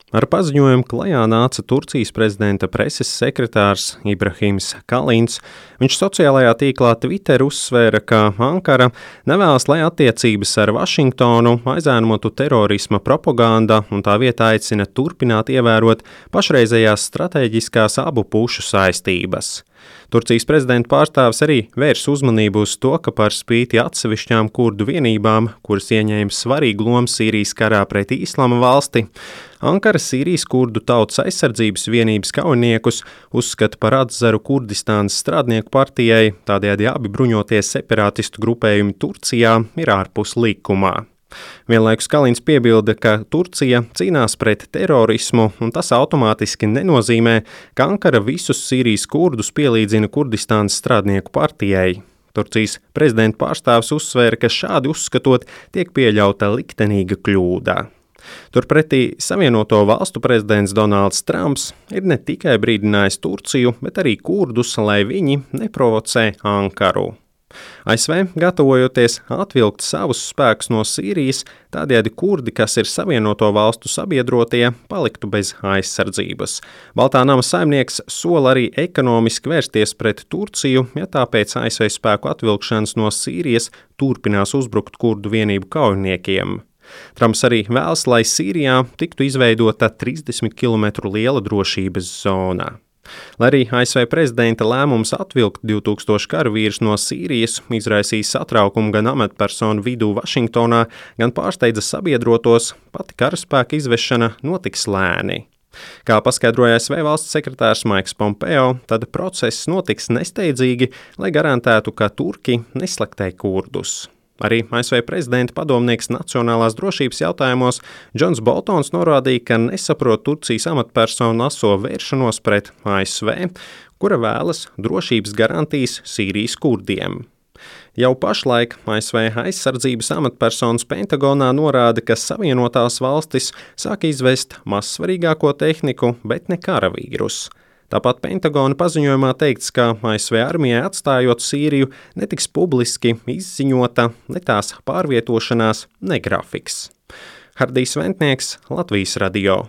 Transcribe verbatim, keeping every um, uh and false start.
Ar paziņojumu klajā nāca Turcijas prezidenta preses sekretārs Ibrahims Kalins. Viņš sociālajā tīklā Twitter uzsvēra, ka Ankara nevēlas, lai attiecības ar Vašingtonu aizēnotu terorisma propaganda un tā vietā aicina turpināt ievērot pašreizējās stratēģiskās abu pušu saistības. Turcijas prezidenta pārstāvis arī vērs uzmanību uz to, ka par spīti atsevišķām kurdu vienībām, kuras ieņēma svarīgu lomu Sīrijas karā pret Īslama valsti, Ankara Sīrijas kurdu tautas aizsardzības vienības kaujiniekus uzskata par atzaru Kurdistānas strādnieku partijai, tādējādi abi bruņotie separātistu grupējumi Turcijā ir ārpus likumā. Vienlaikus Kalins piebilda, ka Turcija cīnās pret terorismu, un tas automātiski nenozīmē, ka Ankara visus Sīrijas kurdus pielīdzina Kurdistānas strādnieku partijai. Turcijas prezidenta pārstāvis uzsvēra, ka šādi uzskatot tiek pieļauta liktenīga kļūda. Turpretī Savienoto valstu prezidents Donalds Trumps ir ne tikai brīdinājis Turciju, bet arī kurdus, lai viņi neprovocē Ankaru. A S V gatavojoties atvilkt savus spēkus no Sīrijas, tādējādi kurdi, kas ir Savienoto valstu sabiedrotie, paliktu bez aizsardzības. Baltā nama saimnieks sola arī ekonomiski vērsties pret Turciju, ja tāpēc A S V spēku atvilkšanas no Sīrijas turpinās uzbrukt kurdu vienību kaujiniekiem. Trumps arī vēlas, lai Sīrijā tiktu izveidota trīsdesmit kilometru liela drošības zona. Lai arī A S V prezidenta lēmums atvilkt divtūkstoši karavīrus no Sīrijas izraisīja satraukumu gan amatpersonu vidū Vašingtonā, gan pārsteidza sabiedrotos, pati karaspēka izvešana notiks lēni. Kā paskaidroja A S V valsts sekretārs Maiks Pompeo, tad process notiks nesteidzīgi, lai garantētu, ka turki neslaktē kurdus. Arī A S V prezidenta padomnieks nacionālās drošības jautājumos Džons Boltons norādīja, ka nesaprot Turcijas amatpersonu aso vēršanos pret A S V, kura vēlas drošības garantijas Sīrijas kurdiem. Jau pašlaik A S V aizsardzības amatpersonas Pentagonā norāda, ka Savienotās valstis sāk izvest mazsvarīgāko tehniku, bet ne karavīrus. Tāpat Pentagona paziņojumā teikts, ka A S V armijai atstājot Sīriju netiks publiski izziņota ne tās pārvietošanās, ne grafiks. Hardijs Ventnieks, Latvijas radio.